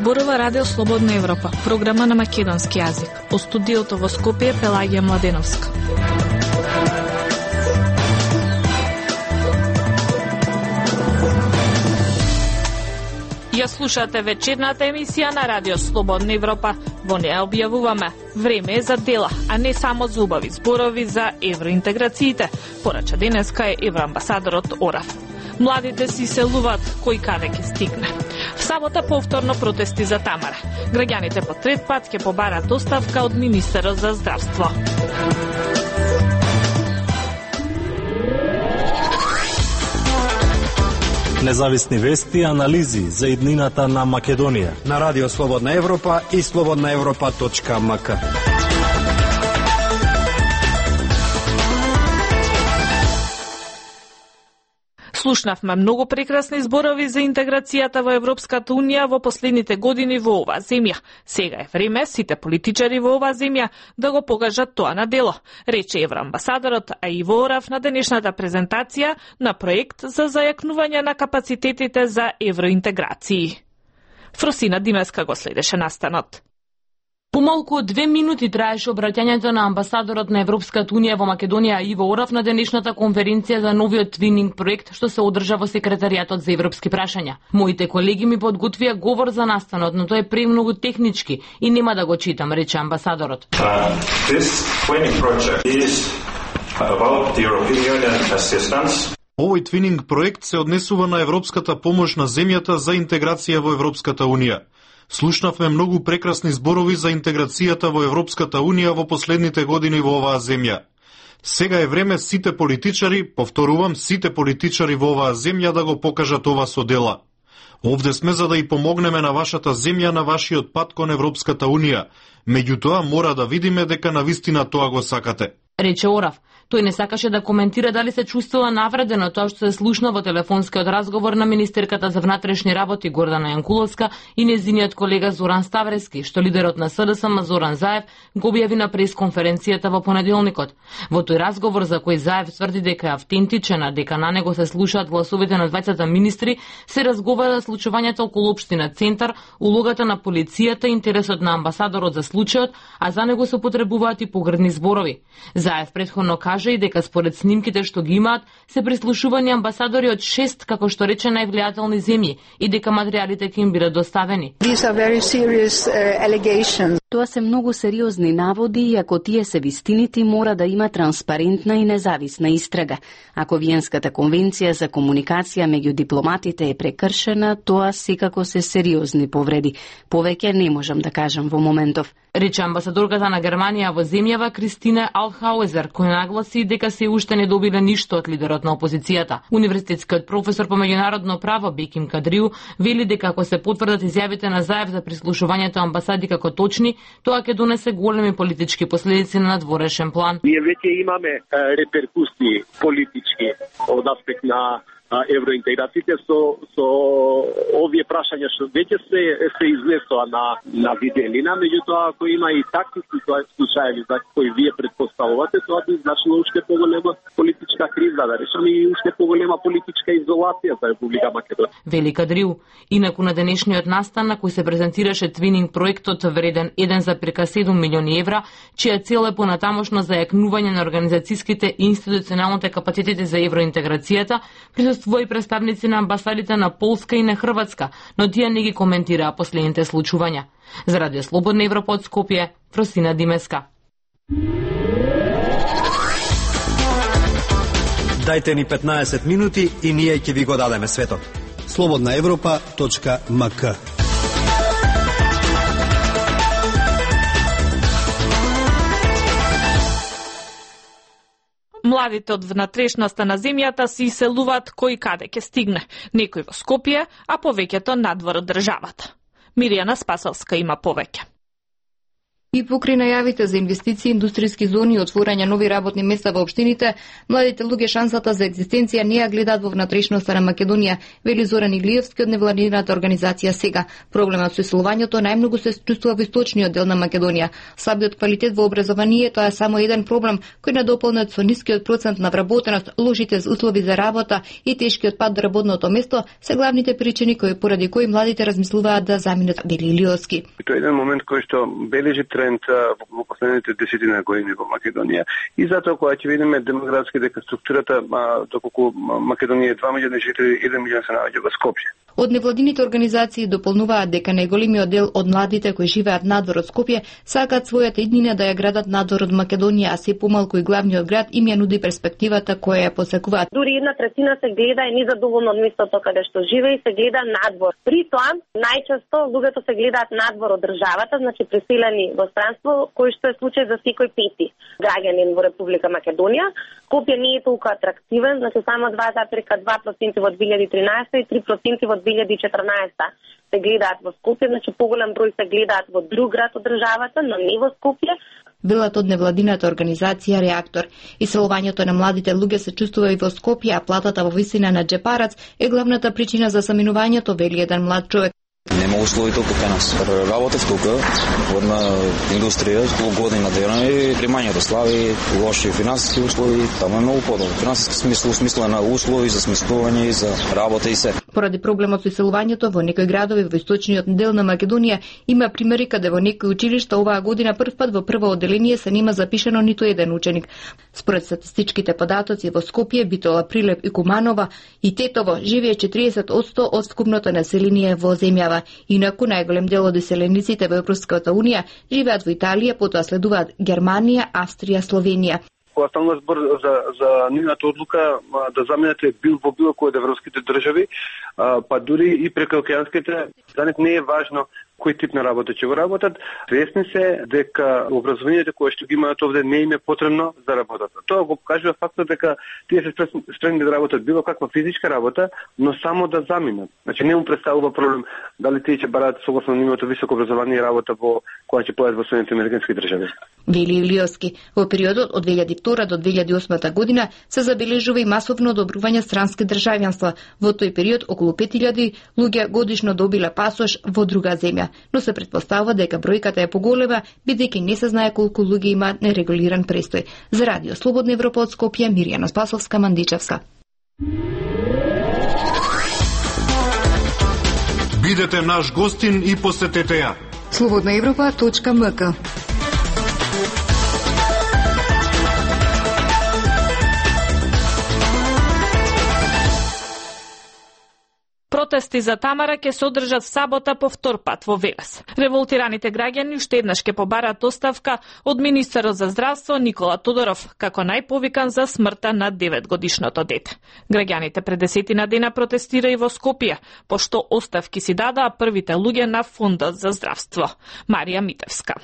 зборува Радио Слободна Европа, програма на македонски јазик. Од студиото во Скопје Пелагија Младеновска. Ја слушате вечерната емисија на Радио Слободна Европа. Во неја објавуваме: време е за дела, а не само за убави зборови за евроинтеграциите, порача денеска е евроамбасадорот Орав. Младите си селуваат кој каде ќе стигне. В сабота повторно протести за Тамара. Граѓаните по трет пат ќе побарат оставка од министерот за здравство. Независни вести и анализи за иднината на Македонија на Радио Слободна Европа и slobodnaevropa.mk. Слушнавме многу прекрасни зборови за интеграцијата во Европската Унија во последните години во оваа земја. Сега е време сите политичари во оваа земја да го покажат тоа на дело, рече евроамбасадорот Иво Орав на денешната презентација на проект за зајакнување на капацитетите за евроинтеграции. Фросина Димеска го следеше настанот. Помалку од 2 минути траеше обраќањето на амбасадорот на Европската Унија во Македонија Иво Орав на денешната конференција за новиот твининг проект што се одржа во секретаријатот за европски прашања. Моите колеги ми подготвија говор за настанот, но тој е премногу технички и нема да го читам, рече амбасадорот. This twinning project is about the European Union assistance. Овој твининг проект се однесува на европската помош на земјата за интеграција во Европската Унија. Слушнавме многу прекрасни зборови за интеграцијата во Европската Унија во последните години во оваа земја. Сега е време сите политичари, повторувам, сите политичари во оваа земја да го покажат ова со дела. Овде сме за да и помогнеме на вашата земја на вашиот пат кон Европската Унија. Меѓутоа мора да видиме дека навистина тоа го сакате, рече Орав. Тој не сакаше да коментира дали се чувствува навредено тоа што се слушна во телефонскиот разговор на министерката за внатрешни работи Гордана Јанкуловска и нејзиниот колега Зоран Ставрески, што лидерот на СДСМ Зоран Заев го објави на пресконференцијата во понеделникот. Во тој разговор за кој Заев тврди дека е автентичен, а дека на него се слушаат гласовите на двајцата министри, се разговара за случувањето околу општина Центар, улогата на полицијата, интересот на амбасадорот за случајот, а за него се потребуваат и погрдни зборови. Заев претходно кажа и дека според снимките што ги имаат се прислушувани амбасадори од 6, како што рече, највлијателни земји и дека материјалите ќе им бидат доставени. Тоа се многу сериозни наводи и ако тие се вистините, мора да има транспарентна и независна истрага. Ако Виенската конвенција за комуникација меѓу дипломатите е прекршена, тоа секако се сериозни повреди. Повеќе не можам да кажам во моментов, рече амбасадорката на Германија во земјава Кристина Алхауезер, која нагласи дека се уште не добиле ништо од лидерот на опозицијата. Универзитетскиот професор по меѓународно право Беким Кадриу вели дека ако се потврдат изјавите на Заев за прислушувањето амбасади како точни, тоа ќе донесе големи политички последици на надворешен план. Ние веќе имаме реперкусии политички од аспект на евроинтеграциите со овие прашања што веќе се изнесоа на виделина, меѓутоа ако има и такви случаи за кои вие предпоставувате, тоа би значило уште поголема политичка криза, да речеме, и уште поголема политичка изолација за Република Македонија. Вели Кадрил. Инаку на денешниот настан на кој се презентираше твининг проектот вреден 1,7 милиони евра, чија цел е понатамошно зајакнување на организацијските и институционалните капацитети за евроинтеграцијата, присуствува представници на амбасадите на Полска и на Хрватска, но тие не ги коментираа последните случувања. За Радио Слободна Европа од Скопје, Фросина Димеска. Дајте ни 15 минути и ние ќе ви го дадеме светот. slobodnaevropa.mk. Младите од внатрешноста на земјата се иселуваат кој каде ќе стигне, некој во Скопје, а повеќето надвор од државата. Миријана Спасовска има повеќе. И покрај најавите за инвестиции, индустријски зони и отворање нови работни места во општините, младите луѓе шансата за екзистенција не ја гледаат во внатрешноста на Македонија, вели Зоран Иглиевски од невладината организација Сега. Проблемот со иселувањето најмногу се чувствува во источниот дел на Македонија. Слабиот квалитет во образованието е само еден проблем кој надополнет со нискиот процент на вработеност, лошите услови за работа и тешкиот пат до работното место се главните причини поради кои младите размислуваат да заминат, вели Илиовски. Тоа е еден момент кој што бележи тренд во последните десетина години во Македонија. И затоа кога ќе видиме демографски дека структурата, доколку Македонија е 2 милиони жители, 1 милион се наоѓа во Скопје. Од невладините организации дополнуваат дека најголемиот дел од младите кои живеат надвор од Скопје сакаат својата иднина да ја градат надвор од Македонија, а се помалку и главниот град им ја нуди перспективата која ја посакуваат. Дури 1/3 се гледа и незадоволно од местото каде што живее и се гледа надвор. При тоа најчесто луѓето се гледаат надвор од државата, значи преселени во странство, кој што е случај за секој пети граѓанин во Република Македонија. Скопје не е толку атрактивен, значи само 2,2% во 2013 и 3% во 2014 се гледаат во Скопје, значи поголем број се гледаат во друг град од државата, но не во Скопје. Велат од невладината организација Реактор. Иселувањето на младите луѓе се чувствува и во Скопје, а платата во висина на џепарац е главната причина за саминувањето, вели еден млад човек. Нема услови толку кај нас. Работев тука, во една индустрија, толку години на дена и примањето слаби, лоши финансиски услови, таму е многу подобро. Финансиски смисла, смисла на услови за сместување и за работа и се. Поради проблемот со иселувањето во некои градови во источниот дел на Македонија има примери каде во некои училишта оваа година првпат во прво одделение се нема запишано ниту еден ученик. Според статистичките податоци во Скопје, Битола, Прилеп и Куманова и Тетово живее 40% од скупното население во земјава. Инаку најголем дел од иселениците во Европската Унија живеат во Италија, потоа следуваат Германија, Австрија, Словенија. Кога станува збор за нивната одлука да заминете во било кој од европските држави, па дури и прекоокеанските, за нив не е важно кој тип на работа ќе го работат, свесни се дека образованието кое што ги имаат овде не им е потребно за работата. Тоа го покажува фактот дека тие се спремни да работат било каква физичка работа, но само да заминат. Значи не му представува проблем дали тие ќе бараат согласно нивното високо образование и работа кога ќе појдат во Соединените американски држави. Вели Илиовски, во периодот од 2002 до 2008 година се забележува и масовно одобрување странски државјанства. Во тој период околу 5000 луѓе годишно добиле пасош во друга земја, но се претпоставува дека бројката е поголема, бидејќи не се знае колку луѓе имаат нерегулиран престој. За Радио Слободна Европа од Скопје, Мирјана Спасовска, Мандичевска. Бидете наш гостин и посетете ја. slobodnaevropa.mk. Протести за Тамара ќе се одржат в сабота по втор пат во Велес. Револтираните граѓани уште еднаш ќе побараат оставка од министерот за здравство Никола Тодоров, како најповикан за смртта на 9-годишното дете. Граѓаните пред 10 дена протестира и во Скопје, пошто оставки си дадаа првите луѓе на Фондот за здравство. Марија Митевска.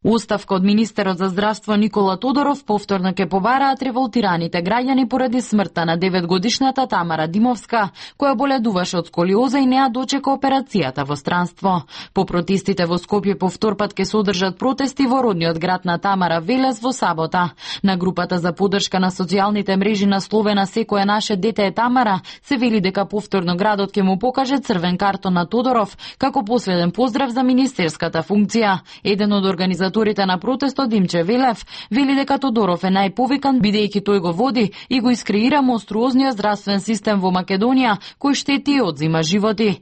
Оставка од министерот за здравство Никола Тодоров повторно ќе побараат револтираните граѓани поради смртта на 9-годишната Тамара Димовска, која боледуваше од сколиоза и неа дочека операцијата во странство. По протестите во Скопје по втор пат ќе се одржат протести во родниот град на Тамара, Велес, во сабота. На групата за поддршка на социјалните мрежи на Словена "Секое наше дете е Тамара" се вели дека повторно градот ќе му покаже црвен картон на Тодоров како последен поздрав за министерската функција. Еден од организаторите на протестот, Димче Велев, вели дека Тодоров е најповикан бидејќи тој го води и го искреира монструозниот здравствен систем во Македонија, кој штети и одзима животи.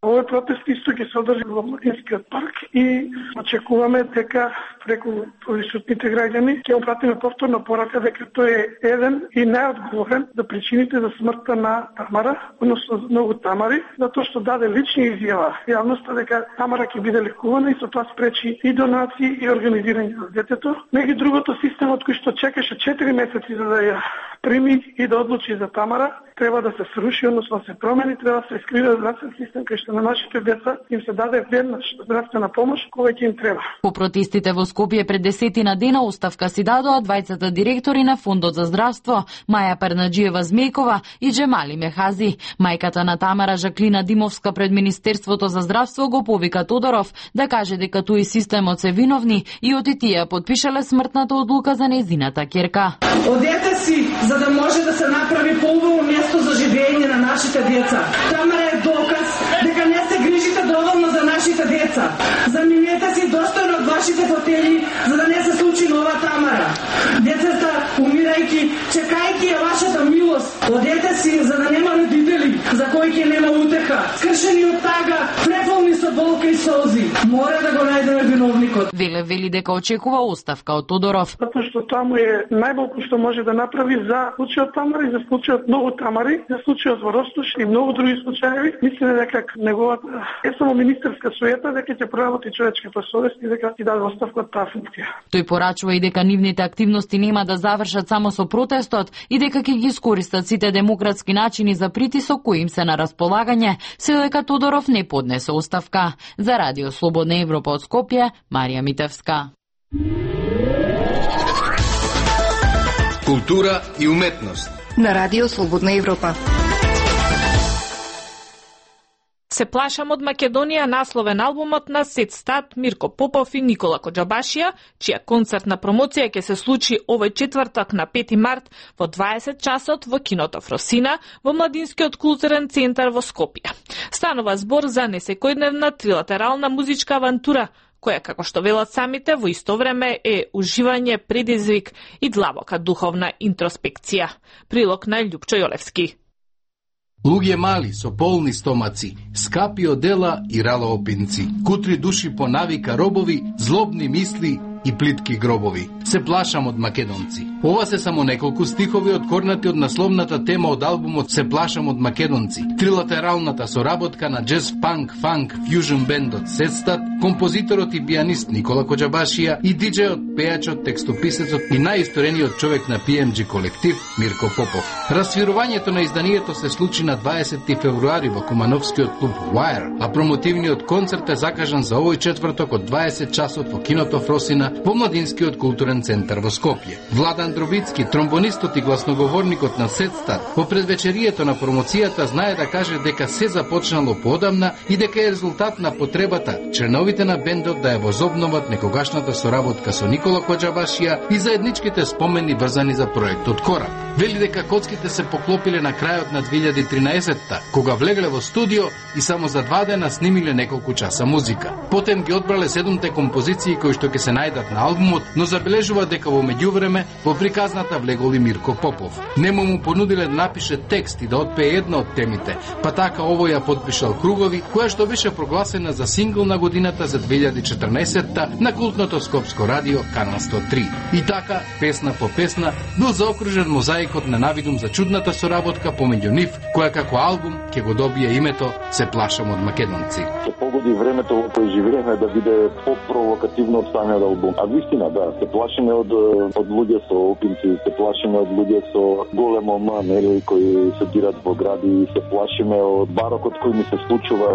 Овој протест исто ќе се одржи во Младинскиот парк и очекуваме дека преку присутните граѓани ќе му пратиме повторно порака дека тој е еден и најодговорен за причините за смртта на Тамара, односно многу Тамари, затоа што даде лични изјава јавноста дека Тамара ќе биде лекувана и со тоа спречи и донации и организирање на детето. Меѓу другото, системот кој што чекаше 4 месеци за да ја прими и да одлучи за Тамара, треба да се сруши, односно да се промени, треба да се искрива здравствен систем кај што на нашите деца им се даде веднаш здравствена помош кога ќе им треба. По протестите во Скопје пред 10 дена оставка си дадоа двајцата директори на Фондот за здравство, Маја Пернаџиева-Змејкова и Джемали Мехази. Мајката на Тамара, Жаклина Димовска, пред Министерството за здравство го повика Тодоров да каже дека тој системот се виновни и од тие подпишале смртната одлука за нејзината ќерка. Одете си за да може да се направи поубаво место за живење на нашите деца. Тамара е доказ дека не се грижите доволно за нашите деца. Заминете си достојно од вашите фотели за да не се случи нова Тамара. Децата умирајќи, чекајќи ја вашата милост. Одете си за да нема родители за кои ќе нема утеха. Скршени од тага, преполни со болка и солзи. Мора да го најдеме виновникот. Вели дека очекува оставка од Тодоров. Затоа што таму е најмалку што може да направи за случајот Тамара и за случајот многу Тамари, за случајот во Ростуш и многу други случаи. Мислиме дека неговата е само министерска суета, дека ќе проработи човечката совест и дека ќе даде оставка од таа функција. Тој порачува и дека нивните активности нема да завршат само со протестот и дека ќе ги искористат сите демократски начини за притисок кои им се на располагање, се дека Тодоров не поднесе оставка. За Радио Слободна Европа од Скопје, Марија Митевска. Култура и уметност на Радио Слободна Европа. Се плашам од Македонија, насловен албумот на Сет Стат, Мирко Попов и Никола Коџабашија, чија концертна промоција ќе се случи овој четврток на 5 март во 20 часот во киното Фросина во Младинскиот културен центар во Скопје. Станува збор за несекојдневна трилатерална музичка авантура, која, како што велат самите, во исто време е уживање, предизвик и длабока духовна интроспекција. Прилог на Љупчо Јолевски. Луѓе мали со полни стомаци, скапи одела и ралоопинци, кутри души по навика робови, злобни мисли и плитки гробови. Се плашам од македонци. Ова се само неколку стихови откорнати од насловната тема од албумот Се плашам од македонци. Трилатералната соработка на джез, панк, фанк, фјужн бендот Сет Стат, композиторот и пианист Никола Коџабашија и диџејот, пејачот, текстописецот и најисторениот човек на PMG колектив Мирко Попов. Расвирувањето на изданието се случи на 20 февруари во Кумановскиот клуб Wire, а промотивниот концерт е закажан за овој четврток од 20 часот во киното Фросина во Младинскиот културен центар во Скопје. Владан Дробицки, тромбонистот и гласноговорникот на Сет Стат, во предвечерието на промоцијата знае да каже дека се започнало поодамна и дека е резултат на потребата членовите на бендот да ја возобноват некогашната соработка со Никола Коџабашија и заедничките спомени врзани за проектот Кораб. Вели дека коцките се поклопиле на крајот на 2013-та, кога влегле во студио и само за 2 дена снимиле неколку часа музика. Потем ги одбрале 7 композиции кои што ќе се најдат на албумот, но забележува дека во меѓувреме во приказната влегол и Мирко Попов. Нему му понудиле да напише текст и да отпее една од темите, па така овој ја подпишал Кругови, која што беше прогласена за сингл на годината за 2014-та на култното скопско радио Канал 103. И така, песна по песна, бил заокружен мозаикот на навидум за чудната соработка помеѓу нив, која како албум ќе го добие името Се плашам од македонци. Се погоди времето во кое живееме да биде по-провокативно од самиот албум. А вистина, да, се плашиме од луѓе со опинци, се плашиме од луѓе со големо ма, нели, кои се дират во гради, се плашиме од барокот кој ми се случува.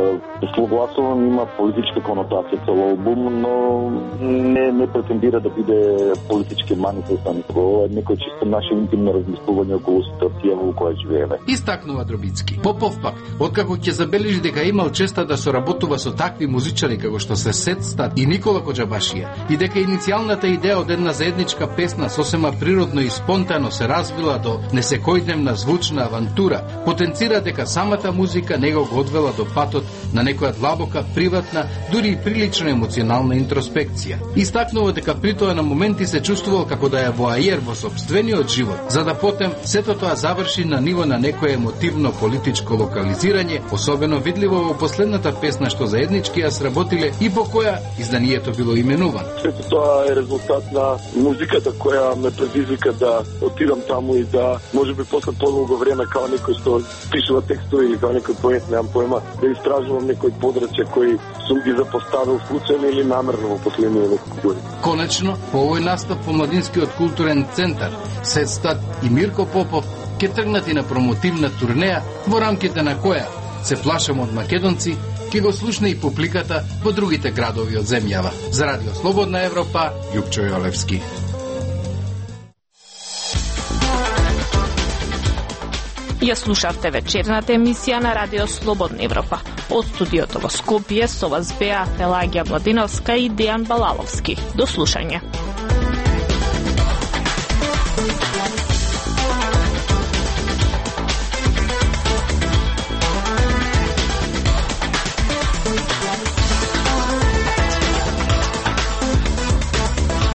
Согласувам, има политичка конотација цел албум, но не претендира да биде политички манифестан. Ова е некој чисто наше интимно размислување околу ситуација во која живееме. Истакнува Дробицки. Попов пак, откако ќе забележи дека имал честа да соработува со такви музичари како што се Сет Стат и Никола Коџабашија и дека иницијалната идеја од една заедничка песна сосема природно и спонтано се развила до несекојдневна звучна авантура, потенцира дека самата музика него го одвела до патот на некоја длабока, приватна, дури и прилично емоционална интроспекција. Истакнува дека при тоа на моменти се чувствувал како да е воајер во сопствениот живот, за да потем сето тоа заврши на ниво на некое емотивно политичко локализирање, особено видливо во последната песна што заеднички ја сработиле и по која изданието било именувано. Се Тоа е резултат на музиката која ме предизвика да отидам таму и да можеби после подолго време као некој што пишува текстови или као некој поет, немам поема, да истражувам некој подрачје кој сум ги запоставил случајно или намерно во последниве неколку години. Конечно, по овој настап по Младинскиот културен центар, Сетстат и Мирко Попов ќе тргнат и на промотивна турнеја во рамките на која се плашам од македонци, ќе го слушне и публиката во другите градови од земјава. За Радио Слободна Европа, Јупчо Јолевски. Ја слушавте вечерната емисија на Радио Слободна Европа. Од студиото во Скопје со вас беа Пелагија Младиновска и Дејан Балаловски. До слушање.